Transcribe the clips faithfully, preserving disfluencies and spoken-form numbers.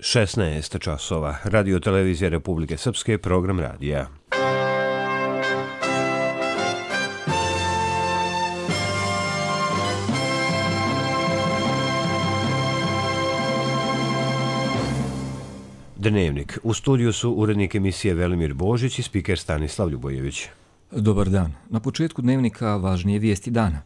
šesnaest časova. Radio televizija Republike Srpske, program radija. Dnevnik. U studiju su urednik emisije Velimir Božić i spiker Stanislav Ljubojević. Dobar dan. Na početku dnevnika važnije vijesti dana.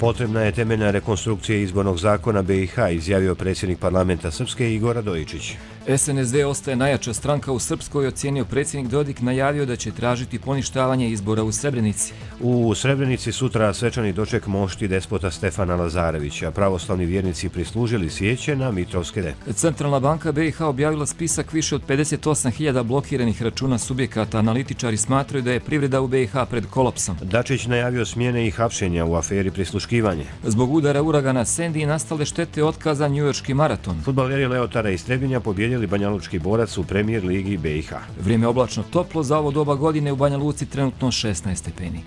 Potrebna je temeljna rekonstrukcija izbornog zakona B i H, izjavio predsjednik parlamenta Srpske Igor Radojičić. S N S D ostaje najjača stranka u Srpskoj, ocijenio predsjednik Dodik, najavio da će tražiti poništavanje izbora u Srebrenici. U Srebrenici sutra svečani doček mošti despota Stefana Lazarevića. Pravoslavni vjernici prislužili svijeće na Mitrovske. Centralna banka B i H objavila spisak više od pedeset osam hiljada blokiranih računa subjekata. Analitičari smatraju da je privreda u B i H pred kolapsom. Dačić najavio smjene i hapšenja u aferi prisluškivanje. Zbog udara uragana Sandy nastale štete otkaza njujorški maraton. Fudbaleri Leotara iz Trebinja pobjedili banjalučki borac u premijer ligi B i H. Vrijeme oblačno toplo, za ovo doba godine u Banja Luci trenutno šesnaest stepeni.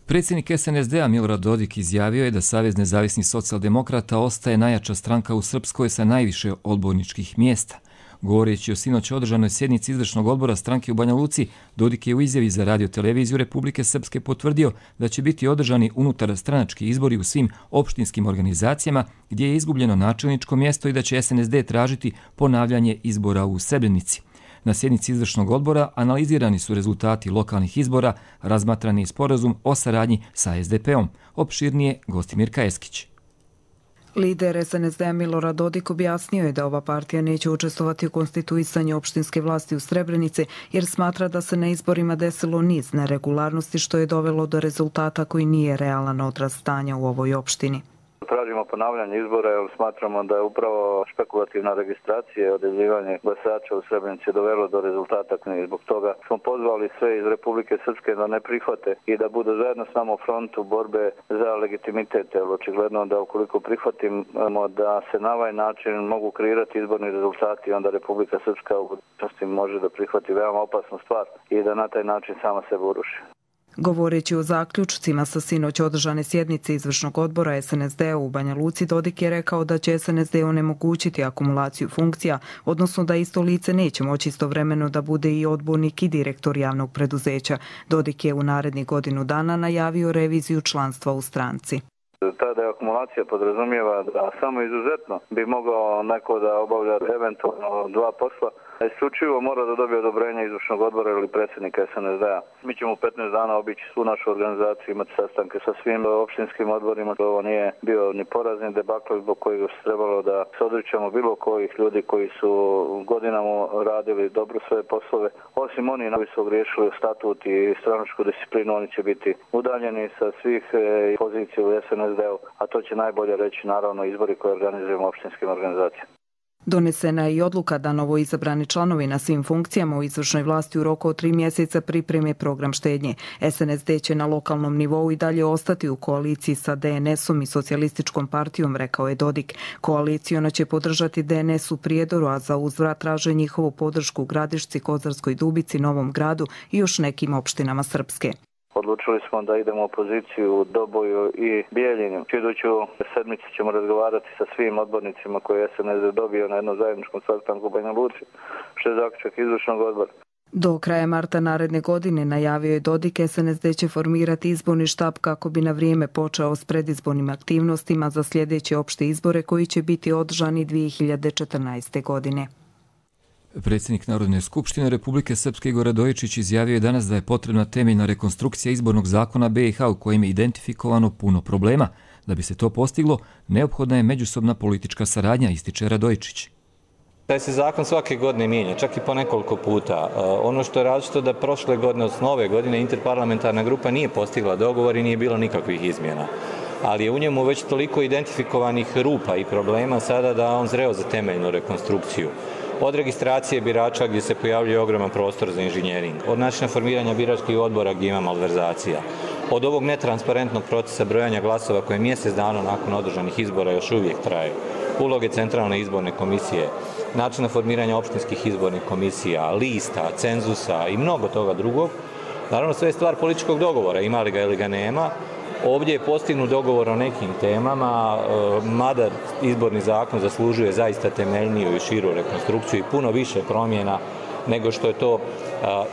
Predsjednik S N S D-a Milorad Dodik izjavio je da Savez nezavisnih socijaldemokrata ostaje najjača stranka u Srpskoj sa najviše odborničkih mjesta. Govoreći o sinoć održanoj sjednici izvršnog odbora stranke u Banja Luci, Dodik je u izjavi za radio televiziju Republike Srpske potvrdio da će biti održani unutar stranački izbori u svim opštinskim organizacijama gdje je izgubljeno načelničko mjesto i da će S N S D tražiti ponavljanje izbora u Srebrenici. Na sjednici izvršnog odbora analizirani su rezultati lokalnih izbora, razmatrani sporazum o saradnji sa S D P-om. Opširnije Gostimir Kajeskić. Lider S N S D-a Milorad Dodik objasnio je da ova partija neće učestvovati u konstituisanju opštinske vlasti u Srebrenici jer smatra da se na izborima desilo niz neregularnosti što je dovelo do rezultata koji nije realan odraz stanja u ovoj opštini. Tražimo ponavljanje izbora jer smatramo da je upravo špekulativna registracija i odjavljivanje glasača u Srebrenici dovelo do rezultata i zbog toga smo pozvali sve iz Republike Srpske da ne prihvate i da budu zajedno s nama u frontu borbe za legitimitet. Jer očigledno da ukoliko prihvatimo da se na ovaj način mogu kreirati izborni rezultati, onda Republika Srpska u budućnosti može da prihvati veoma opasnu stvar i da na taj način sama sebe uruši. Govoreći o zaključcima sa sinoć održane sjednice izvršnog odbora S N S D-a u Banja Luci, Dodik je rekao da će S N S D onemogućiti akumulaciju funkcija, odnosno da isto lice neće moći istovremeno da bude i odbornik i direktor javnog preduzeća. Dodik je u narednih godinu dana najavio reviziju članstva u stranci. Tada je akumulacija podrazumijeva da samo izuzetno bi mogao neko da obavlja eventualno dva posla. Isključivo mora da dobije odobrenje izvršnog odbora ili predsjednika S N S D-a. Mi ćemo u petnaest dana obići svu našu organizaciju, imati sastanke sa svim opštinskim odborima. Ovo nije bio ni porazni debakl zbog kojeg se trebalo da se odričemo bilo kojih ljudi koji su godinama radili dobro svoje poslove. Osim oni koji su ogriješili statut i stranačku disciplinu, oni će biti udaljeni sa svih pozicija u S N S D-u, a to će najbolje reći naravno izbori koje organizujemo opštinskim organizacijama. Donesena je i odluka da novo izabrani članovi na svim funkcijama u izvršnoj vlasti u roku od tri mjeseca pripreme program štednje. S N S D će na lokalnom nivou i dalje ostati u koaliciji sa D N S-om i socijalističkom partijom, rekao je Dodik. Koalicijona će podržati D N S u Prijedoru, a za uzvrat traže njihovu podršku u Gradišci, Kozarskoj Dubici, Novom Gradu i još nekim opštinama Srpske. Odlučili smo da idemo u opoziciju u Doboju i Bijeljini. Iduću sedmicu ćemo razgovarati sa svim odbornicima koje je S N S D dobio na jednom zajedničkom sastanku u Banja Luci, što je zaključak izvršnog odbora. Do kraja marta naredne godine, najavio je Dodik, S N S D će formirati izborni štab kako bi na vrijeme počeo s predizbornim aktivnostima za sljedeće opšte izbore koji će biti održani dvije hiljade četrnaeste. godine. Predsjednik Narodne skupštine Republike Srpske Igor Radojičić izjavio je danas da je potrebna temeljna rekonstrukcija izbornog zakona B i H u kojem je identifikovano puno problema. Da bi se to postiglo, neophodna je međusobna politička saradnja, ističe Radojičić. Taj se zakon svake godine mijenja, čak i po nekoliko puta. Ono što je različito da prošle godine, od nove godine, interparlamentarna grupa nije postigla dogovor i nije bilo nikakvih izmjena. Ali je u njemu već toliko identifikovanih rupa i problema sada da on zreo za temeljnu rekonstrukciju. Od registracije birača gdje se pojavljuje ogroman prostor za inženjering, od načina formiranja biračkih odbora gdje ima malverzacija, od ovog netransparentnog procesa brojanja glasova koje mjesec dana nakon održanih izbora još uvijek traje. uloge Centralne izborne komisije, načina formiranja opštinskih izbornih komisija, lista, cenzusa i mnogo toga drugog. Naravno, sve je stvar političkog dogovora, ima li ga ili ga nema. Ovdje je postignut dogovor o nekim temama, mada izborni zakon zaslužuje zaista temeljniju i širu rekonstrukciju i puno više promjena nego što je to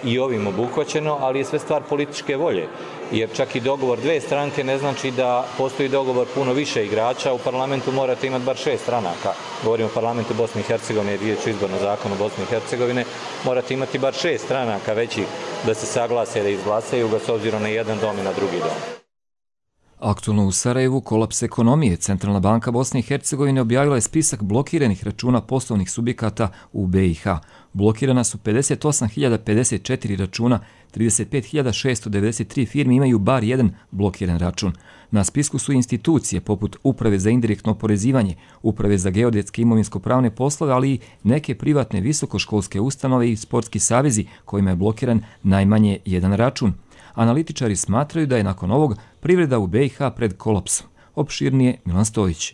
i ovim obuhvaćeno, ali je sve stvar političke volje. Jer čak i dogovor dve stranke ne znači da postoji dogovor puno više igrača. U parlamentu morate imati bar šest stranaka. Govorimo o parlamentu Bosne i Hercegovine i riječ o izbornom zakonu Bosne i Hercegovine. Morate imati bar šest stranaka većih da se saglase, da izglasaju ga s obzirom na jedan dom i na drugi dom. Aktualno u Sarajevu kolaps ekonomije. Centralna banka Bosne i Hercegovine objavila je spisak blokiranih računa poslovnih subjekata u B i H. Blokirana su pedeset osam hiljada pedeset četiri računa, trideset pet hiljada šesto devedeset tri firme imaju bar jedan blokiran račun. Na spisku su institucije poput Uprave za indirektno oporezivanje, Uprave za geodetske imovinsko-pravne poslove, ali i neke privatne visokoškolske ustanove i sportski savezi kojima je blokiran najmanje jedan račun. Analitičari smatraju da je nakon ovog privreda u B i H pred kolapsom. Opširnije Milan Stojić.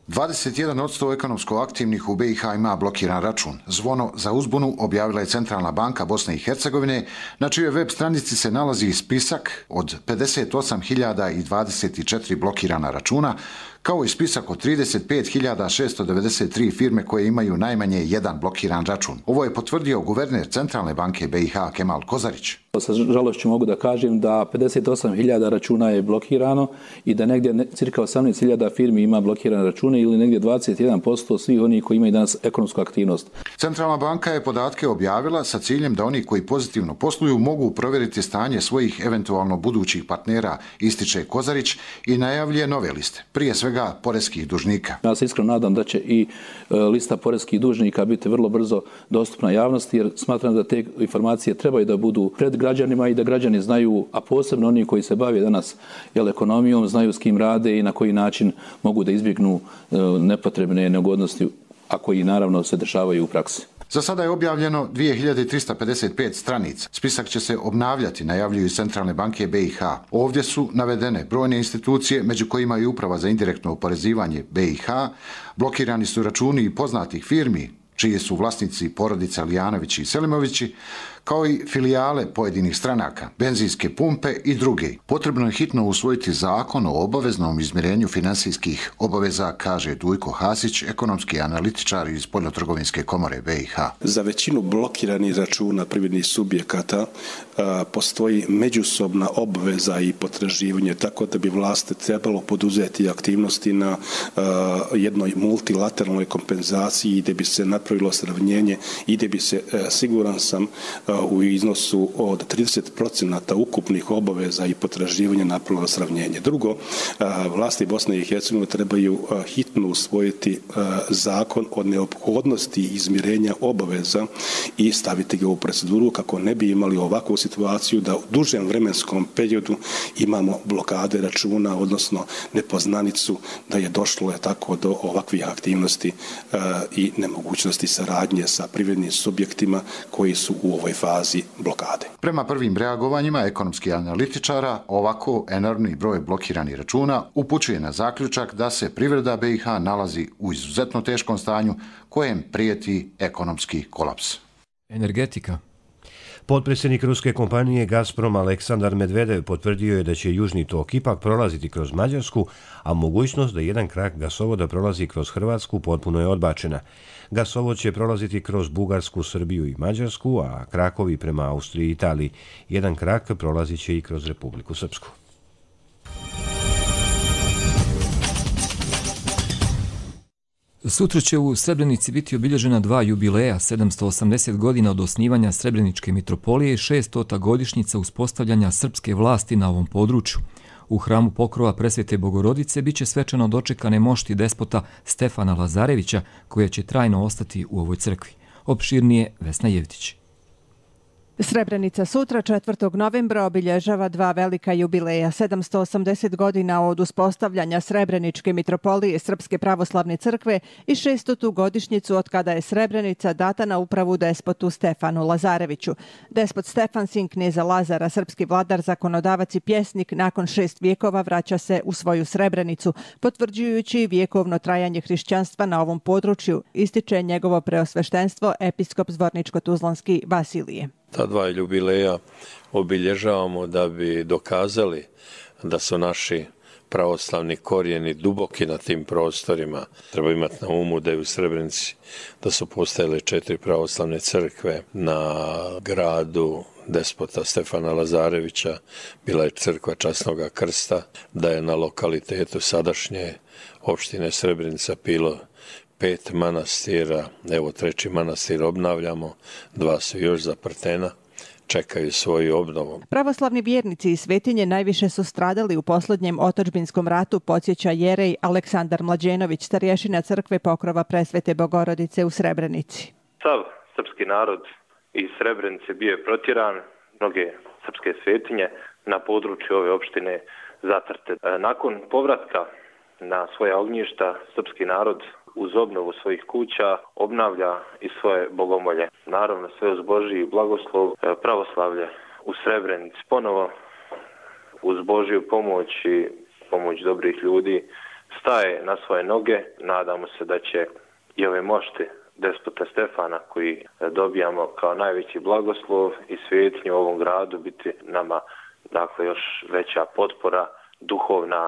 dvadeset jedan posto ekonomsko aktivnih u B i H ima blokiran račun. Zvono za uzbunu objavila je Centralna banka Bosne i Hercegovine, na čijoj web stranici se nalazi spisak od pedeset osam hiljada dvadeset četiri blokirana računa, kao i spisak od trideset pet hiljada šesto devedeset tri firme koje imaju najmanje jedan blokiran račun. Ovo je potvrdio guverner Centralne banke B i H Kemal Kozarić. Sa žalošću mogu da kažem da pedeset osam hiljada računa je blokirano i da negdje cirka osamnaest hiljada firmi ima blokirane račune ili negdje dvadeset jedan posto svih onih koji imaju danas ekonomsku aktivnost. Centralna banka je podatke objavila sa ciljem da oni koji pozitivno posluju mogu provjeriti stanje svojih eventualno budućih partnera, ističe Kozarić i najavljuje nove liste, prije svega poreskih dužnika. Ja se iskreno nadam da će i lista poreskih dužnika biti vrlo brzo dostupna javnosti, jer smatram da te informacije trebaju da budu pred građanima i da građani znaju, a posebno oni koji se bave danas jel, ekonomijom, znaju s kim rade i na koji način mogu da izbjegnu nepotrebne neugodnosti, a koji naravno se dešavaju u praksi. Za sada je objavljeno dvije hiljade trista pedeset pet stranica. Spisak će se obnavljati, najavljuju Centralne banke B i H. Ovdje su navedene brojne institucije, među kojima i Uprava za indirektno oporezivanje B i H. Blokirani su računi i poznatih firmi, čiji su vlasnici porodice Alijanovići i Selimovići, kao i filijale pojedinih stranaka, benzinske pumpe i druge. Potrebno je hitno usvojiti zakon o obaveznom izmirenju finansijskih obaveza, kaže Dujko Hasić, ekonomski analitičar iz Spoljnotrgovinske komore B i H. Za većinu blokiranih računa privrednih subjekata a, postoji međusobna obveza i potraživanje, tako da bi vlast trebalo poduzeti aktivnosti na a, jednoj multilateralnoj kompenzaciji gdje bi se napravilo sravnjenje i gdje bi se, a, siguran sam, a, u iznosu od trideset posto ukupnih obaveza i potraživanja napravilo sravnjenje. Drugo, vlasti Bosne i Hercegovine trebaju hitno usvojiti zakon o neophodnosti izmirenja obaveza i staviti ga u proceduru kako ne bi imali ovakvu situaciju da u dužem vremenskom periodu imamo blokade računa, odnosno nepoznanicu da je došlo je tako do ovakvih aktivnosti i nemogućnosti saradnje sa privrednim subjektima koji su u ovoj fazi blokade. Prema prvim reagovanjima ekonomskih analitičara, ovako enormni broj blokiranih računa upućuje na zaključak da se privreda B i H nalazi u izuzetno teškom stanju kojem prijeti ekonomski kolaps. Energetika. Potpredsjednik ruske kompanije Gazprom Aleksandar Medvedev potvrdio je da će Južni tok ipak prolaziti kroz Mađarsku, a mogućnost da jedan krak gasovoda prolazi kroz Hrvatsku potpuno je odbačena. Gasovod će prolaziti kroz Bugarsku, Srbiju i Mađarsku, a krakovi prema Austriji i Italiji. Jedan krak prolazit će i kroz Republiku Srpsku. Sutra će u Srebrenici biti obilježena dva jubileja, sedamsto osamdeset godina od osnivanja Srebreničke mitropolije i šeststota godišnjica uspostavljanja srpske vlasti na ovom području. U hramu pokrova Presvete Bogorodice biće svečano dočekane mošti despota Stefana Lazarevića, koja će trajno ostati u ovoj crkvi. Opširnije Vesna Jevtić. Srebrenica sutra, četvrtog novembra, obilježava dva velika jubileja. sedamsto osamdeset godina od uspostavljanja Srebreničke mitropolije Srpske pravoslavne crkve i šestotu godišnjicu od kada je Srebrenica data na upravu despotu Stefanu Lazareviću. Despot Stefan, sin kneza Lazara, srpski vladar, zakonodavac i pjesnik, nakon šest vijekova vraća se u svoju Srebrenicu, potvrđujući vjekovno trajanje hrišćanstva na ovom području, ističe njegovo preosveštenstvo episkop Zvorničko-tuzlanski Vasilije. Ta dva jubileja obilježavamo da bi dokazali da su naši pravoslavni korijeni duboki na tim prostorima. Treba imati na umu da je u Srebrenici da su postojale četiri pravoslavne crkve. Na gradu despota Stefana Lazarevića bila je crkva Časnoga krsta, da je na lokalitetu sadašnje opštine Srebrenica bilo pet manastira, evo treći manastir obnavljamo, dva su još zaprtena, čekaju svoju obnovu. Pravoslavni vjernici i svetinje najviše su stradali u posljednjem otadžbinskom ratu, podsjeća jerej Aleksandar Mlađenović, starješina crkve Pokrova Presvete Bogorodice u Srebrenici. Sav srpski narod iz Srebrenice bio je protjeran, mnoge srpske svetinje na području ove opštine zatrte. Nakon povratka na svoja ognjišta, srpski narod uz obnovu svojih kuća obnavlja i svoje bogomolje. Naravno, sve uz Božji blagoslov, pravoslavlje u Srebrenici ponovo uz Božju pomoć i pomoć dobrih ljudi staje na svoje noge. Nadamo se da će i ove mošti despota Stefana, koji dobijamo kao najveći blagoslov i svetinje u ovom gradu, biti nama dakle još veća potpora duhovna.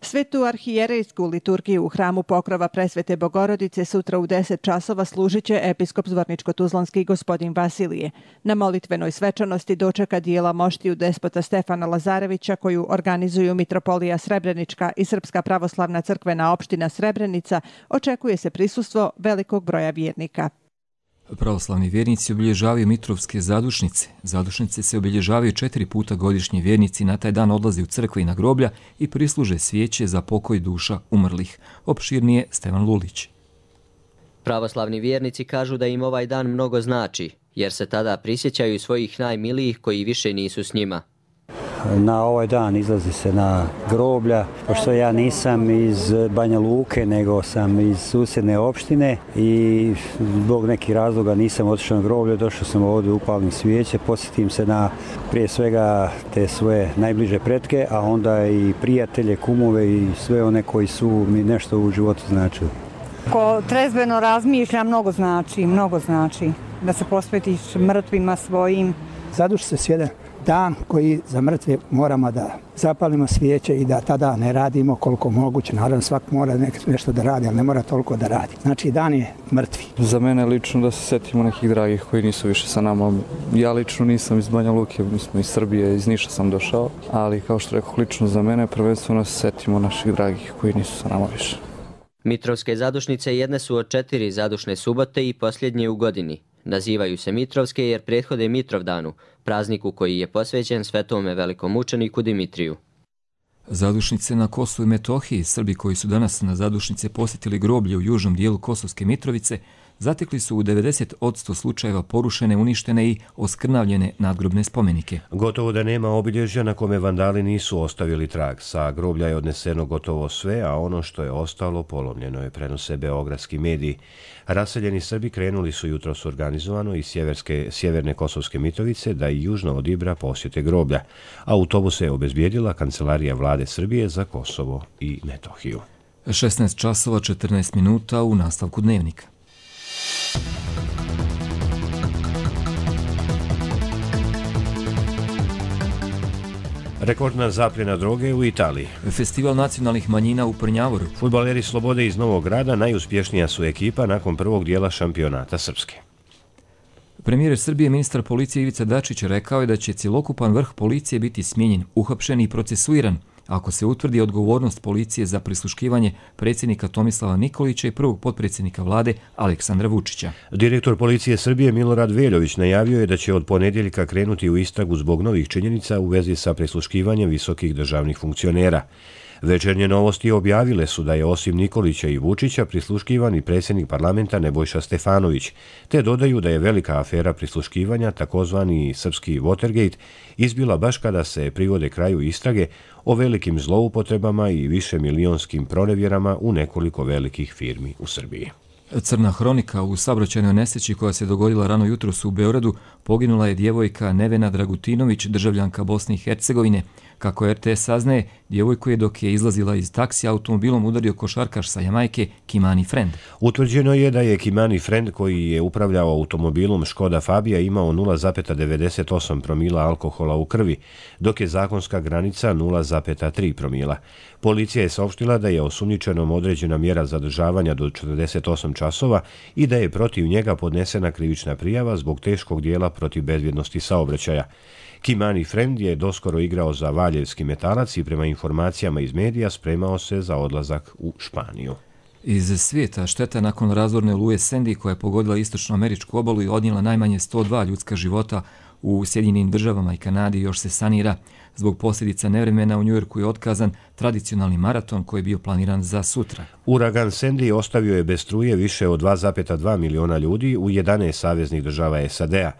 Svetu arhijerejsku liturgiju u hramu Pokrova Presvete Bogorodice sutra u deset časova služit će episkop Zvorničko-tuzlanski gospodin Vasilije. Na molitvenoj svečanosti dočeka dijela moštiju despota Stefana Lazarevića koju organizuju Mitropolija Srebrenička i Srpska pravoslavna crkvena opština Srebrenica, očekuje se prisustvo velikog broja vjernika. Pravoslavni vjernici obilježavaju Mitrovske zadušnice. Zadušnice se obilježavaju četiri puta godišnje. Vjernici na taj dan odlaze u crkve i na groblja i prisluže svijeće za pokoj duša umrlih. Opširnije Stevan Lulić. Pravoslavni vjernici kažu da im ovaj dan mnogo znači, jer se tada prisjećaju svojih najmilijih koji više nisu s njima. Na ovaj dan izlazi se na groblja, pošto ja nisam iz Banja Luke, nego sam iz susjedne opštine i zbog nekih razloga nisam otišao na groblje, došao sam ovdje, upalim svijeće, posjetim se na prije svega te svoje najbliže pretke, a onda i prijatelje, kumove i sve one koji su mi nešto u životu značili. Ko trezveno razmišlja, mnogo znači, mnogo znači da se posvetiš mrtvima svojim. Zaduši se sjede dan koji za mrtve moramo da zapalimo svijeće i da tada ne radimo koliko moguće. Naravno, svak mora nešto da radi, ali ne mora toliko da radi. Znači, dan je mrtvi. Za mene lično da se setimo nekih dragih koji nisu više sa nama. Ja lično nisam iz Banja Luke, mi smo iz Srbije, iz Niša sam došao, ali kao što rekao, lično za mene prvenstveno se setimo naših dragih koji nisu sa nama više. Mitrovske zadušnice jedne su od četiri zadušne subote i posljednje u godini. Nazivaju se Mitrovske jer prethode Mitrovdanu, prazniku koji je posvećen svetome velikom mučeniku Dimitriju. Zadušnice na Kosovu i Metohiji. Srbi koji su danas na zadušnice posjetili groblje u južnom dijelu Kosovske Mitrovice zatekli su u devedeset posto slučajeva porušene, uništene i oskrnavljene nadgrobne spomenike. Gotovo da nema obilježja na kome vandali nisu ostavili trag. Sa groblja je odneseno gotovo sve, a ono što je ostalo polomljeno je, prenose beogradski mediji. Raseljeni Srbi krenuli su jutros organizovano iz sjeverske, sjeverne Kosovske Mitrovice da i južno od Ibra posjete groblja. Autobuse je obezbijedila Kancelarija vlade Srbije za Kosovo i Metohiju. šesnaest časova četrnaest minuta u nastavku dnevnika. Rekordna zapljena droge u Italiji. Festival nacionalnih manjina u Prnjavoru. Fudbaleri Slobode iz Novog Grada najuspješnija su ekipa nakon prvog dijela šampionata Srpske. Premijer Srbije, ministar policije Ivica Dačić rekao je da će cjelokupan vrh policije biti smijenjen, uhapšen i procesuiran ako se utvrdi odgovornost policije za prisluškivanje predsjednika Tomislava Nikolića i prvog potpredsjednika vlade Aleksandra Vučića. Direktor policije Srbije Milorad Veljović najavio je da će od ponedjeljka krenuti u istragu zbog novih činjenica u vezi sa prisluškivanjem visokih državnih funkcionera. Večernje novosti objavile su da je osim Nikolića i Vučića prisluškivan i predsjednik parlamenta Nebojša Stefanović, te dodaju da je velika afera prisluškivanja, takozvani srpski Watergate, izbila baš kada se privode kraju istrage o velikim zloupotrebama i višemilijonskim pronevjerama u nekoliko velikih firmi u Srbiji. Crna hronika: u saobraćajnoj nesreći koja se dogodila rano jutros u Beogradu poginula je djevojka Nevena Dragutinović, državljanka Bosne i Hercegovine. Kako er te es saznaje, djevojku je dok je izlazila iz taksija automobilom udario košarkaš sa Jamajke Kimani Friend. Utvrđeno je da je Kimani Friend, koji je upravljao automobilom Škoda Fabia, imao nula zarez devedeset osam promila alkohola u krvi, dok je zakonska granica nula zarez tri promila. Policija je saopštila da je osumnjičenom određena mjera zadržavanja do četrdeset osam časova i da je protiv njega podnesena krivična prijava zbog teškog dijela protiv bezbjednosti saobraćaja. Kimani Friend je doskoro igrao za Valjevski Metalac i prema informacijama iz medija spremao se za odlazak u Španiju. Iz svijeta: šteta nakon razorne oluje Sandy koja je pogodila istočnoameričku obalu i odnijela najmanje sto dva ljudska života u Sjedinjenim državama i Kanadi još se sanira. Zbog posljedica nevremena u Njujorku je otkazan tradicionalni maraton koji je bio planiran za sutra. Uragan Sandy ostavio je bez struje više od dva zarez dva miliona ljudi u jedanaest saveznih država es a de a.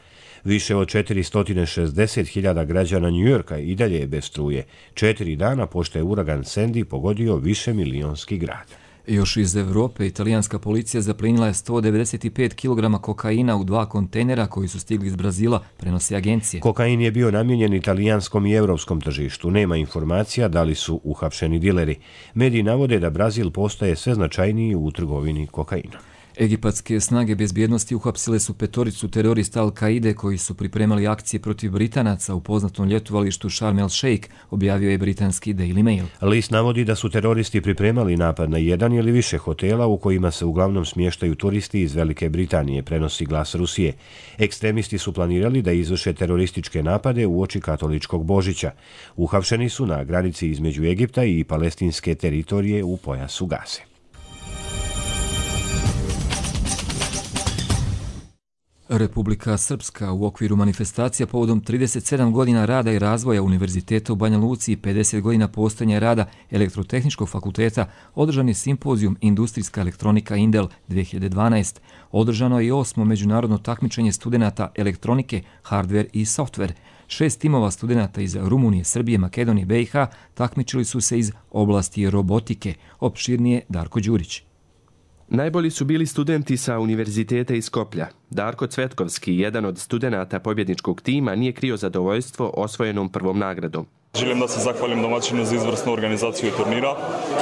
Više od četiristo šezdeset hiljada građana Njujorka i dalje je bez struje, četiri dana pošto je uragan Sandy pogodio više milionski grad. Još iz Evrope, italijanska policija zaplinila je sto devedeset pet kilograma kokaina u dva kontejnera koji su stigli iz Brazila, prenosi agencije. Kokain je bio namijenjen italijanskom i evropskom tržištu. Nema informacija da li su uhapšeni dileri. Mediji navode da Brazil postaje sve značajniji u trgovini kokainom. Egipatske snage bezbjednosti uhapsile su petoricu terorista Al-Kaide koji su pripremali akcije protiv Britanaca u poznatom ljetovalištu Sharm el Sheikh, objavio je britanski Daily Mail. List navodi da su teroristi pripremali napad na jedan ili više hotela u kojima se uglavnom smještaju turisti iz Velike Britanije, prenosi Glas Rusije. Ekstremisti su planirali da izvrše terorističke napade uoči katoličkog Božića. Uhapšeni su na granici između Egipta i palestinske teritorije u pojasu Gaze. Republika Srpska u okviru manifestacija povodom trideset sedam godina rada i razvoja Univerziteta u Banja Luci i pedeset godina postojanja rada Elektrotehničkog fakulteta održan je simpozijum Industrijska elektronika Indel dvije hiljade dvanaest. Održano je i osmo međunarodno takmičenje studenata elektronike, hardware i software. Šest timova studenata iz Rumunije, Srbije, Makedonije, be i ha takmičili su se iz oblasti robotike. Opširnije Darko Đurić. Najbolji su bili studenti sa Univerziteta iz Skoplja. Darko Cvetkovski, jedan od studenata pobjedničkog tima, nije krio zadovoljstvo osvojenom prvom nagradom. Želim da se zahvalim domaćinu za izvrsnu organizaciju turnira,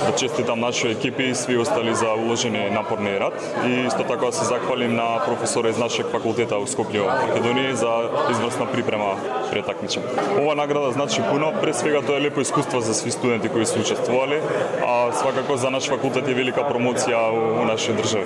da čestitam našoj ekipi i svi ostali za uloženi naporni rad i isto tako da se zahvalim na profesore iz našeg fakulteta u Skoplju, Makedoniji, za izvrsna priprema pre takmičenja. Ova nagrada znači puno, pre svega to je lijepo iskustvo za svi studenti koji su učestvovali, a svakako za naš fakultet je velika promocija u, u našoj državi.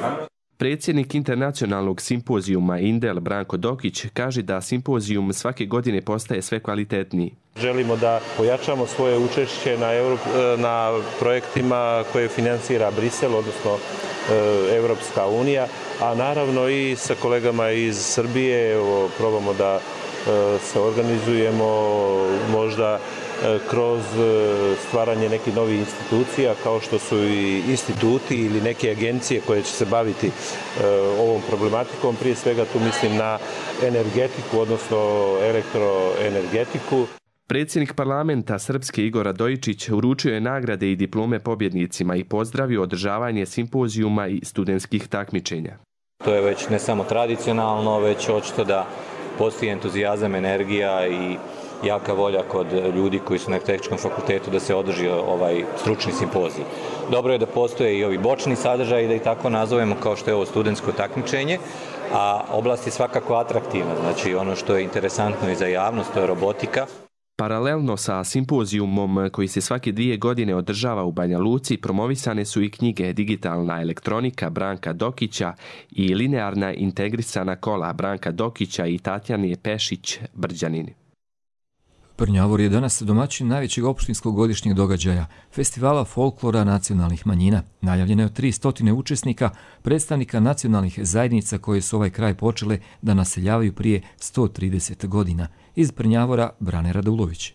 Predsjednik internacionalnog simpozijuma Indel Branko Dokić kaže da simpozijum svake godine postaje sve kvalitetniji. Želimo da pojačamo svoje učešće na, Evrop, na projektima koje finansira Brisel, odnosno e, Evropska unija, a naravno i sa kolegama iz Srbije evo, probamo da e, se organizujemo možda kroz stvaranje nekih novih institucija kao što su i instituti ili neke agencije koje će se baviti ovom problematikom. Prije svega tu mislim na energetiku, odnosno elektroenergetiku. Predsjednik parlamenta Srpske Igor Radojičić uručio je nagrade i diplome pobjednicima i pozdravio održavanje simpozijuma i studentskih takmičenja. To je već ne samo tradicionalno, već očito da postoji entuzijazam, energija i jaka volja kod ljudi koji su na tehničkom fakultetu da se održi ovaj stručni simpozij. Dobro je da postoje i ovi bočni sadržaji, da ih tako nazovemo, kao što je ovo studentsko takmičenje, a oblast je svakako atraktivna. Znači ono što je interesantno i za javnost, to je robotika. Paralelno sa simpozijumom koji se svake dvije godine održava u Banja Luci, promovisane su i knjige Digitalna elektronika Branka Dokića i Linearna integrisana kola Branka Dokića i Tatjane Pešić Brđanini. Prnjavor je danas domaćin najvećeg opštinskog godišnjeg događaja, festivala folklora nacionalnih manjina. Najavljeno je tristo učesnika, predstavnika nacionalnih zajednica koje su ovaj kraj počele da naseljavaju prije sto trideset godina. Iz Prnjavora Brane Radulović.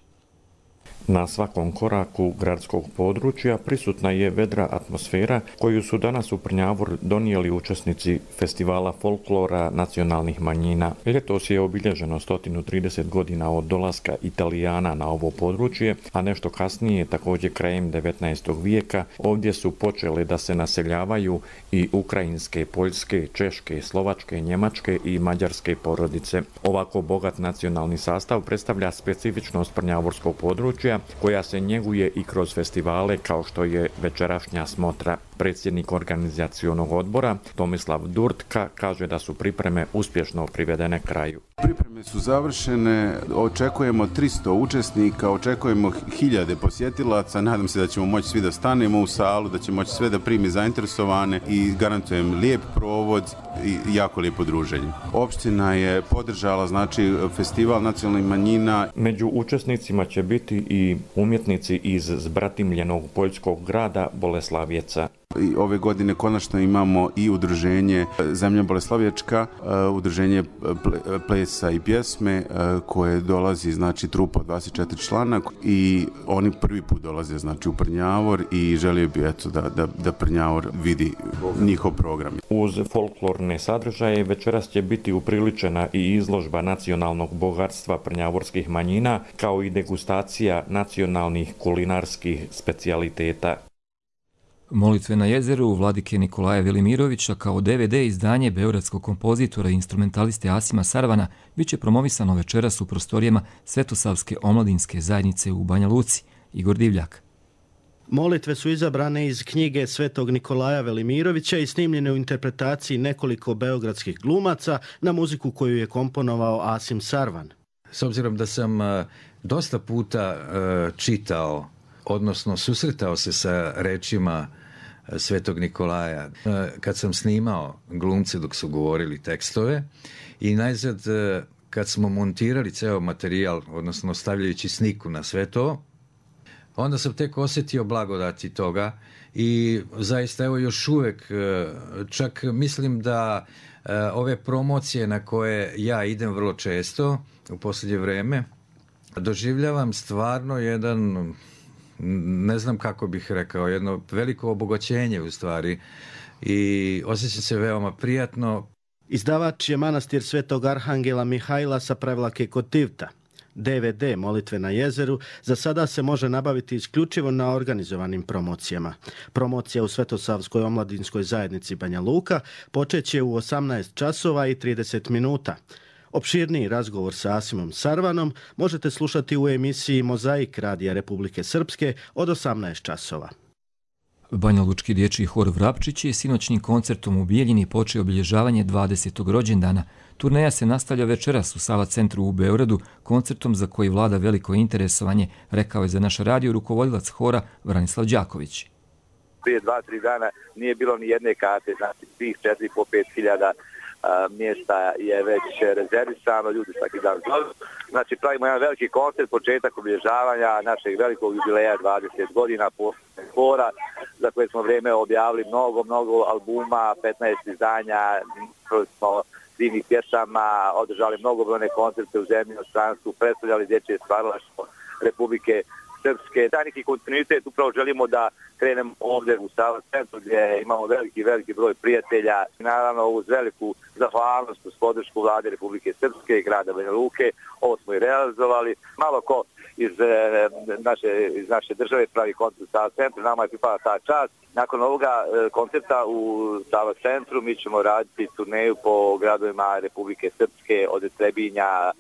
Na svakom koraku gradskog područja prisutna je vedra atmosfera koju su danas u Prnjavor donijeli učesnici festivala folklora nacionalnih manjina. Ljetos je obilježeno sto trideset godina od dolaska Italijana na ovo područje, a nešto kasnije, također krajem devetnaestog vijeka, ovdje su počele da se naseljavaju i ukrajinske, poljske, češke, slovačke, njemačke i mađarske porodice. Ovako bogat nacionalni sastav predstavlja specifičnost prnjavorskog područja koja se njeguje i kroz festivale kao što je večerašnja smotra. Predsjednik organizacionog odbora Tomislav Durtka kaže da su pripreme uspješno privedene kraju. Pripreme su završene, očekujemo tristo učesnika, očekujemo hiljade posjetilaca, nadam se da ćemo moći svi da stanemo u salu, da će moći sve da primi zainteresovane i garantujem lijep provod i jako lijepo druženje. Opština je podržala znači festival nacionalnih manjina. Među učesnicima će biti i umjetnici iz zbratimljenog poljskog grada Boleslavjeca. I ove godine konačno imamo i udruženje Zemlja Boleslavječka, udruženje plesa i pjesme koje dolazi, znači trupa od dvadeset četiri člana i oni prvi put dolaze znači u Prnjavor i želio bi eto da, da, da Prnjavor vidi njihov program. Uz folklorne sadržaje večeras će biti upriličena i izložba nacionalnog bogatstva prnjavorskih manjina kao i degustacija nacionalnih kulinarskih specijaliteta. Molitve na jezeru Vladike Nikolaja Velimirovića kao D V D izdanje beogradskog kompozitora i instrumentaliste Asima Sarvana bit će promovisano večeras u prostorijama Svetosavske omladinske zajednice u Banja Luci. Igor Divljak. Molitve su izabrane iz knjige Svetog Nikolaja Velimirovića i snimljene u interpretaciji nekoliko beogradskih glumaca na muziku koju je komponovao Asim Sarvan. S obzirom da sam dosta puta čitao, odnosno susretao se sa rečima Svetog Nikolaja, kad sam snimao glumce dok su govorili tekstove i najzad kad smo montirali ceo materijal, odnosno stavljajući sniku na sve to, onda sam tek osjetio blagodati toga i zaista evo još uvek, čak mislim da ove promocije na koje ja idem vrlo često u posljednje vreme, doživljavam stvarno jedan, ne znam kako bih rekao, jedno veliko obogaćenje u stvari i osjećam se veoma prijatno. Izdavač je manastir Svetog Arhangela Mihajla sa Prevlake kod Tivta. D V D Molitve na jezeru za sada se može nabaviti isključivo na organizovanim promocijama. Promocija u Svetosavskoj omladinskoj zajednici Banja Luka počeće u osamnaest časova i trideset minuta. Opširniji razgovor sa Asimom Sarvanom možete slušati u emisiji Mozaik Radija Republike Srpske od osamnaest časova. Banja Lučki dječji hor Vrapčić je sinoćnim koncertom u Bijeljini počeo obilježavanje dvadesetog rođendana. Turneja se nastavlja večeras u Sava centru u Beogradu koncertom za koji vlada veliko interesovanje, rekao je za naš radio rukovodilac hora Vranislav Đaković. Prije dva, tri dana nije bilo ni jedne karte, znači svih četiri po pet hiljada mjesta je već rezervisano, ljudi svaki dan zovu. Znači pravimo jedan veliki koncert, početak obilježavanja našeg velikog jubileja dvadeset godina posle hora, za koje smo vrijeme objavili mnogo, mnogo albuma, petnaest izdanja, smo divnih pjesama, održali mnogobrojne koncerte u zemlji, u stranstvu, predstavljali dječje stvaralaštvo Republike Srpske. Taj neki kontinuitet upravo želimo da krenemo ovdje u Sava centru gdje imamo veliki, veliki broj prijatelja. Naravno uz veliku zahvalnost uz podršku vlade Republike Srpske i grada Banja Luke. Ovo smo i realizovali. Malo ko iz naše, iz naše države pravi koncert u Sava centru. Nama je pripada ta čast. Nakon ovoga koncerta u Sava centru mi ćemo raditi turneju po gradovima Republike Srpske od Trebinja,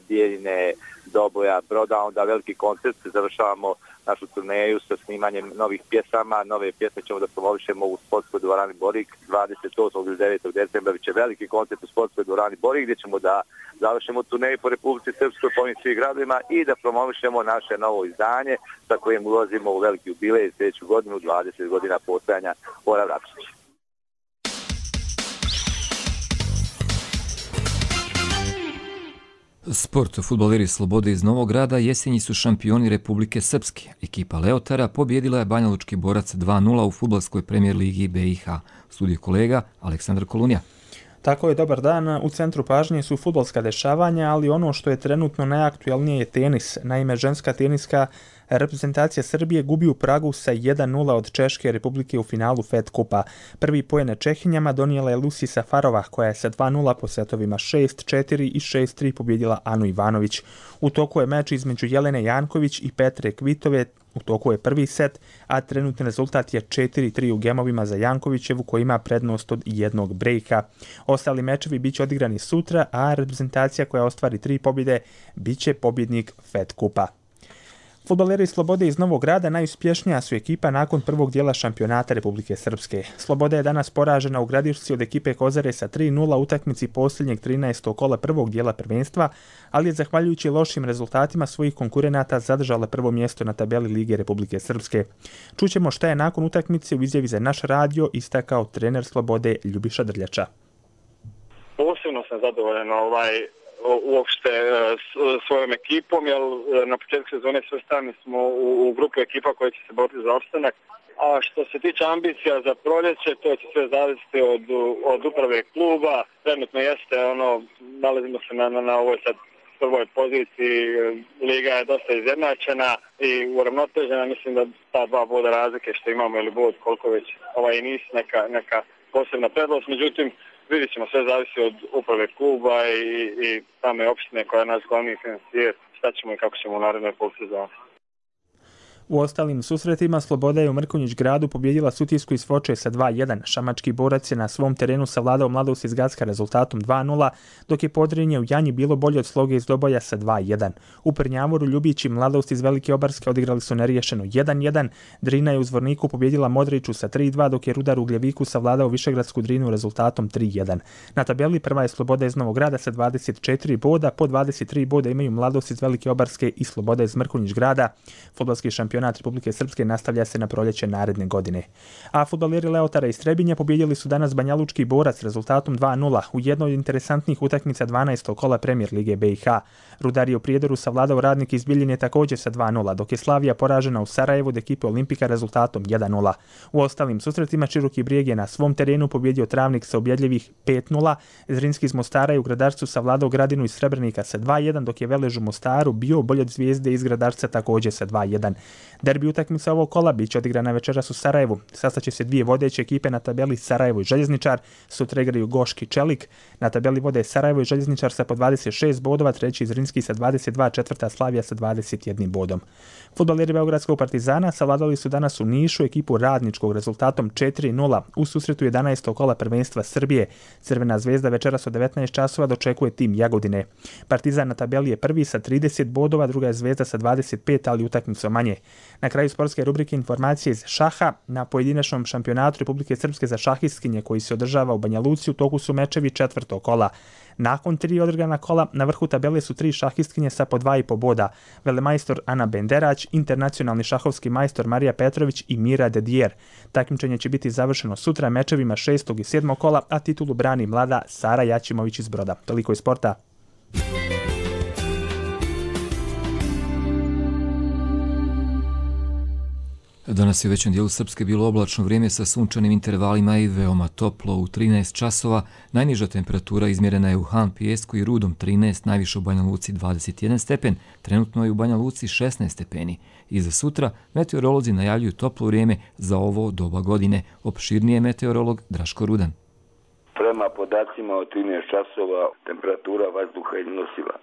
Bijeljine, Doboja, Broda, onda veliki koncert, završavamo našu turneju sa snimanjem novih pjesama. Nove pjesme ćemo da promovišemo u sportskoj dvorani Borik dvadeset osmog ili devetog decembra, biće veliki koncert u sportskoj dvorani Borik gdje ćemo da završimo turneju po Republici Srpskoj, po ovim svih gradovima i da promovišemo naše novo izdanje sa kojim ulazimo u veliki jubilej sljedeću godinu, dvadeset godina postojanja hora Vrapčić. Sport. Fudbaleri Slobode iz Novog Grada jesenji su šampioni Republike Srpske. Ekipa Leotara pobjedila je Banja Lučki Borac dva nula u fudbalskoj premijer ligi B i H. Studio kolega Aleksandar Kolunja. Tako je, dobar dan. U centru pažnje su fudbalska dešavanja, ali ono što je trenutno najaktualnije je tenis. Naime, ženska teniska Reprezentacija Srbije gubi u Pragu sa jedan nula od Češke Republike u finalu Fed Kupa. Prvi poen Čehinjama donijela je Lucy Safarova, koja je sa dva nula po setovima šest četiri i šest tri pobjedila Anu Ivanović. U toku je meč između Jelene Janković i Petre Kvitove. U toku je prvi set, a trenutni rezultat je četiri tri u gemovima za Jankovićevu, koja ima prednost od jednog brejka. Ostali mečevi biće odigrani sutra, a reprezentacija koja ostvari tri pobjede biće pobjednik Fed Kupa. Fudbaleri Slobode iz Novog Grada najuspješnija su ekipa nakon prvog dijela šampionata Republike Srpske. Sloboda je danas poražena u Gradišci od ekipe Kozare sa tri nula u utakmici posljednjeg trinaestog kola prvog dijela prvenstva, ali je zahvaljujući lošim rezultatima svojih konkurenata zadržala prvo mjesto na tabeli Lige Republike Srpske. Čućemo šta je nakon utakmice u izjavi za naš radio istakao trener Slobode Ljubiša Drljača. Posebno sam zadovoljan ovaj uopšte svojom ekipom, jer na početku sezone svrstani smo u, u grupu ekipa koja će se boriti za opstanak. A što se tiče ambicija za proljeće, to će sve zavisiti od, od uprave kluba. Trenutno jeste, ono, nalazimo se na, na, na ovoj sad prvoj poziciji, liga je dosta izjednačena i uravnotežena. Mislim da ta dva boda razlike što imamo ili bod koliko već ovaj nisu neka, neka posebna prednost, međutim vidjet ćemo, sve zavisi od uprave kluba i, i same opštine koja je naš glavni financijer, šta ćemo i kako ćemo u narednoj polusezoni. U ostalim susretima Sloboda je u Mrkonjić Gradu pobjedila Sutjesku iz Foče sa dva jedan. Šamački borac je na svom terenu savladao Mladost iz Gacka rezultatom dva nula, dok je Podrinje u Janji bilo bolje od Sloge iz Doboja sa dva jedan. U Prnjavoru Ljubić i Mladost iz Velike Obarske odigrali su neriješeno jedan jedan. Drina je u Zvorniku pobjedila Modriću sa tri dva, dok je Rudar u Gljeviku savladao Višegradsku Drinu rezultatom tri jedan. Na tabeli prva je Sloboda iz Novog Grada sa dvadeset četiri boda, po dvadeset tri boda imaju Mladost iz Velike Obarske i Sloboda iz Mrkonjić Grada. Fudbalski šampionat Republike Srpske nastavlja se na proljeće naredne godine. A fudbaleri Leotara iz Trebinja pobjedili su danas Banjalučki Borac rezultatom dva nula u jednoj od interesantnih utakmica dvanaestog kola Premier Lige B i H. Rudar je u Prijedoru savladao Radnik iz Bijeljine također sa dva nula, dok je Slavija poražena u Sarajevu od ekipe Olimpika rezultatom jedan nula. U ostalim susretima Široki Brijeg je na svom terenu pobjedio Travnik sa ubjedljivih pet nula, Zrinski iz Mostara je u Gradarcu savladao Gradinu iz Srebrenika sa dva jedan, dok je Velež u Mostaru bio bolje od Zvijezde iz Gradarca također sa dva jedan. Derbi utakmica ovog kola biće odigrana večeras u Sarajevu. Sastaće se dvije vodeće ekipe na tabeli Sarajevo i Željezničar, sutra igraju Goški Čelik. Na tabeli vode Sarajevo i Željezničar sa po dvadeset šest bodova, treći Zrinski sa dvadeset dva, četvrta Slavija sa dvadeset jedan bodom. Fudbaleri Beogradskog Partizana savladali su danas u Nišu ekipu Radničkog rezultatom četiri nula u susretu jedanaestog kola prvenstva Srbije. Crvena zvezda večeras od devetnaest časova dočekuje tim Jagodine. Partizan na tabeli je prvi sa trideset bodova, druga je Zvezda sa dvadeset pet, ali utakmicu manje. Na kraju sportske rubrike informacije iz šaha. Na pojedinačnom šampionatu Republike Srpske za šahistkinje koji se održava u Banja Luci u toku su mečevi četvrtog kola. Nakon tri odigrana kola na vrhu tabele su tri šahistkinje sa po dva i po boda. Velemajstor Ana Benderać, internacionalni šahovski majstor Marija Petrović i Mira Dedijer. Takmičenje će biti završeno sutra mečevima šestog i sedmog kola, a titulu brani mlada Sara Jačimović iz Broda. Toliko iz sporta. Danas je u većem dijelu Srpske bilo oblačno vrijeme sa sunčanim intervalima i veoma toplo u trinaest časova. Najniža temperatura izmjerena je u Han, Pijesku i Rudom trinaest, najviše u Banja Luci dvadeset jedan stepen, trenutno je u Banja Luci šesnaest stepeni. I za sutra meteorolozi najavljuju toplo vrijeme za ovo doba godine. Opširnije meteorolog Draško Rudan. Prema podacima od trinaest časova temperatura vazduha iznosila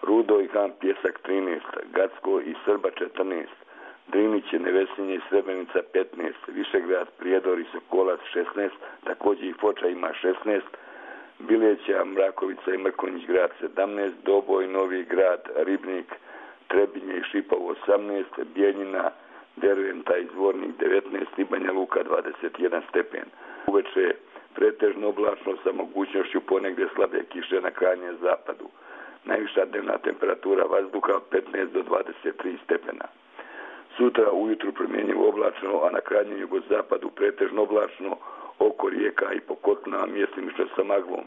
Rudo i Han, Pijesak trinaest, Gacko i Srba četrnaest, Driniće, Nevesinje i Srebrenica petnaest, Višegrad, Prijedor i Sokolac šesnaest, također i Foča ima šesnaest, Bileća, Mrakovica i Mrkonjić Grad sedamnaest, Doboj, Novi Grad, Ribnik, Trebinje i Šipovo osamnaest, Bijeljina, Derventa i Zvornik devetnaest i Banja Luka dvadeset jedan stepen. Uveče pretežno oblačno sa mogućnošću ponegdje slabe kiše na krajnjem zapadu. Najviša dnevna temperatura vazduha petnaest do dvadeset tri stepena. Sutra ujutru promjenjivo oblačno, a na krajnjem jugozapadu pretežno oblačno, oko rijeka i po kotlima mjestimično sa maglom.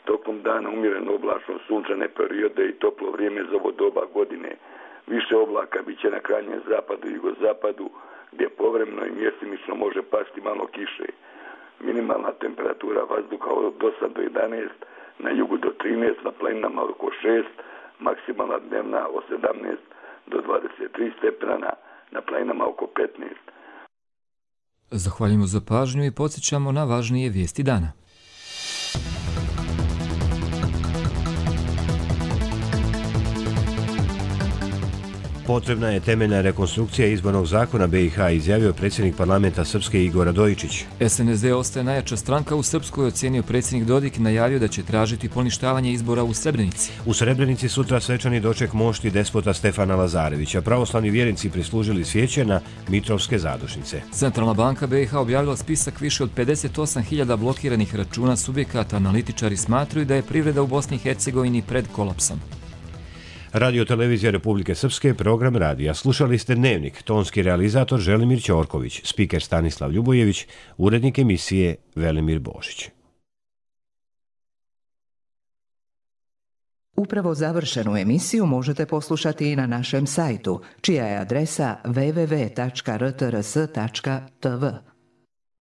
Tokom dana umjereno oblačno, sunčane periode i toplo vrijeme za ovo doba godine. Više oblaka bit će na krajnjem zapadu i jugozapadu, gdje povremeno i mjestimično može pasti malo kiše. Minimalna temperatura vazduha od osam do jedanaest, na jugu do trinaest, na planinama oko šest, maksimalna dnevna od sedamnaest do dvadeset tri stepena, na planinama oko petnaest. Zahvaljujemo za pažnju i podsjećamo na važnije vijesti dana. Potrebna je temeljna rekonstrukcija izbornog zakona be i ha, izjavio predsjednik parlamenta Srpske Igor Radojičić. es en es de ostaje najjača stranka u Srpskoj, ocenio predsjednik Dodik i najavio da će tražiti poništavanje izbora u Srebrenici. U Srebrenici sutra svečani doček mošti despota Stefana Lazarevića. Pravoslavni vjernici prislužili svijeće na Mitrovske zadušnice. Centralna banka be i ha objavila spisak više od pedeset osam hiljada blokiranih računa subjekata. Analitičari smatraju da je privreda u Bosni i Hercegovini pred kolapsom. Radio Televizija Republike Srpske, program radija. Slušali ste Dnevnik, tonski realizator Želimir Ćorković, spiker Stanislav Ljubojević, urednik emisije Velimir Božić. Upravo završenu emisiju možete poslušati i na našem sajtu, čija je adresa w w w tačka r t r s tačka t v.